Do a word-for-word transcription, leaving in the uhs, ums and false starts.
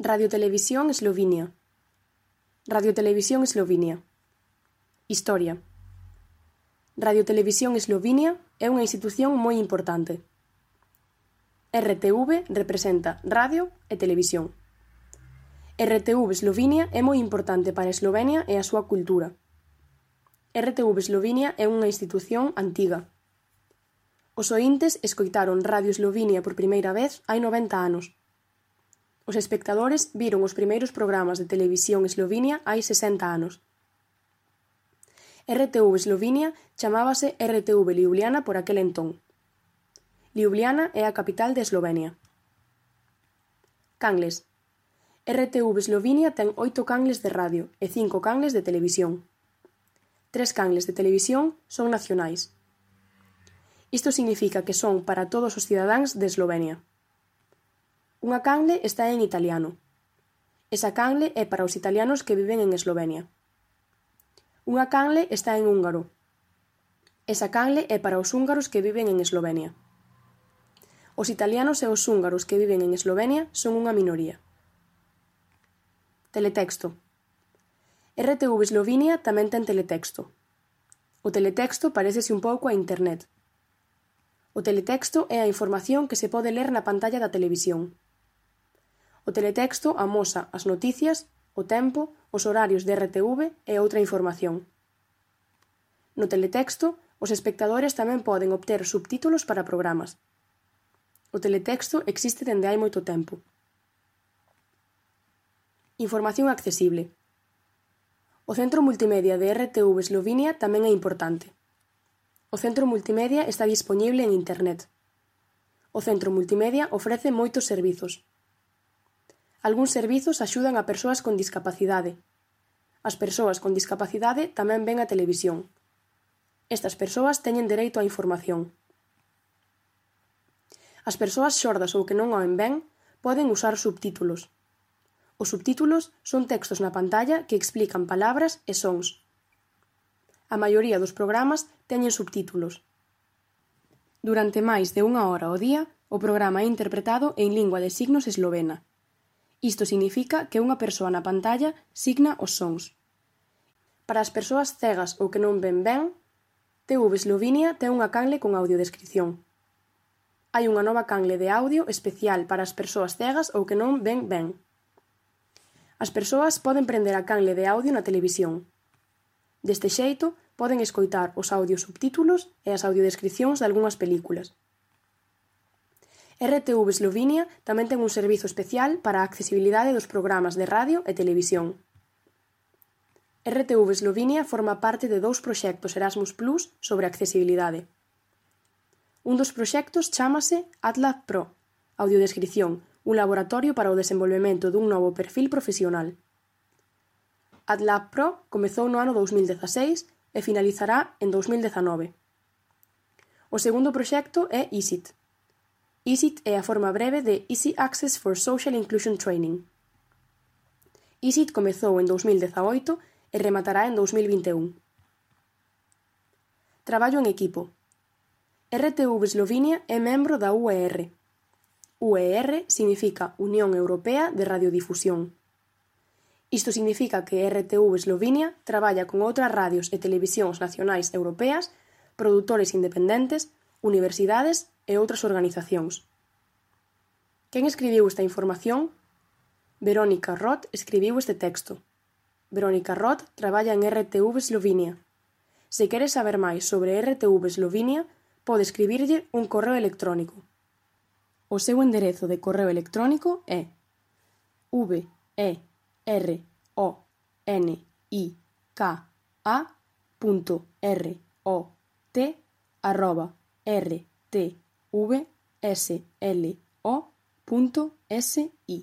Radiotelevisión Eslovinia. Radiotelevisión Eslovinia. Historia. Radiotelevisión Eslovinia é unha institución moi importante. R T V representa radio e televisión. R T V Eslovinia é moi importante para Eslovenia e a súa cultura. R T V Eslovinia é unha institución antiga. Os oíntes escoitaron Radio Eslovinia por primeira vez hai noventa anos. Os espectadores viron os primeiros programas de televisión eslovinia hai sesenta anos. R T V Eslovinia chamábase R T V Ljubljana por aquel entón. Ljubljana é a capital de Eslovenia. Canles. R T V Eslovinia ten oito canles de radio e cinco canles de televisión. Tres canles de televisión son nacionais. Isto significa que son para todos os cidadáns de Eslovenia. Unha canle está en italiano. Esa canle é para os italianos que viven en Eslovenia. Unha canle está en húngaro. Esa canle é para os húngaros que viven en Eslovenia. Os italianos e os húngaros que viven en Eslovenia son unha minoría. Teletexto. R T V Eslovinia tamén ten teletexto. O teletexto parécese un pouco a internet. O teletexto é a información que se pode ler na pantalla da televisión. O teletexto amosa as noticias, o tempo, os horarios de R T V e outra información. No teletexto, os espectadores tamén poden obter subtítulos para programas. O teletexto existe dende hai moito tempo. Información accesible. O Centro Multimedia de R T V Eslovinia tamén é importante. O Centro Multimedia está dispoñible en Internet. O Centro Multimedia ofrece moitos servizos. Algúns servizos axudan a persoas con discapacidade. As persoas con discapacidade tamén ven a televisión. Estas persoas teñen dereito á información. As persoas xordas ou que non oen ben poden usar subtítulos. Os subtítulos son textos na pantalla que explican palabras e sons. A maioría dos programas teñen subtítulos. Durante máis de unha hora ao día, o programa é interpretado en lingua de signos eslovena. Isto significa que unha persoa na pantalla signa os sons. Para as persoas cegas ou que non ven ben, T V Eslovinia ten unha canle con audiodescripción. Hai unha nova canle de audio especial para as persoas cegas ou que non ven ben. As persoas poden prender a canle de audio na televisión. Deste xeito, poden escoitar os audiosubtítulos e as audiodescripcións de algunhas películas. R T V Eslovinia tamén ten un servizo especial para a accesibilidade dos programas de radio e televisión. R T V Eslovinia forma parte de dous proxectos Erasmus Plus sobre accesibilidade. Un dos proxectos chámase AdLab Pro, audiodescripción, un laboratorio para o desenvolvemento dun novo perfil profesional. AdLab Pro comezou no ano dous mil dezaseis e finalizará en dous mil dezanove. O segundo proxecto é EASIT. EASIT é a forma breve de Easy Access for Social Inclusion Training. EASIT comezou en dous mil dezaoito e rematará en dous mil vinte e un. Traballo en equipo. R T V Eslovinia é membro da U E R. U E R significa Unión Europea de Radiodifusión. Isto significa que R T V Eslovinia traballa con outras radios e televisións nacionais europeas, produtores independentes, universidades e outras organizacións. Quen escribiu esta información? Verónica Roth escribiu este texto. Verónica Roth traballa en R T V Eslovinia. Se quere saber máis sobre R T V Eslovinia, pode escribirlle un correo electrónico. O seu enderezo de correo electrónico é v e r o n i k a punto r o t arroba r t v s l o punto s i.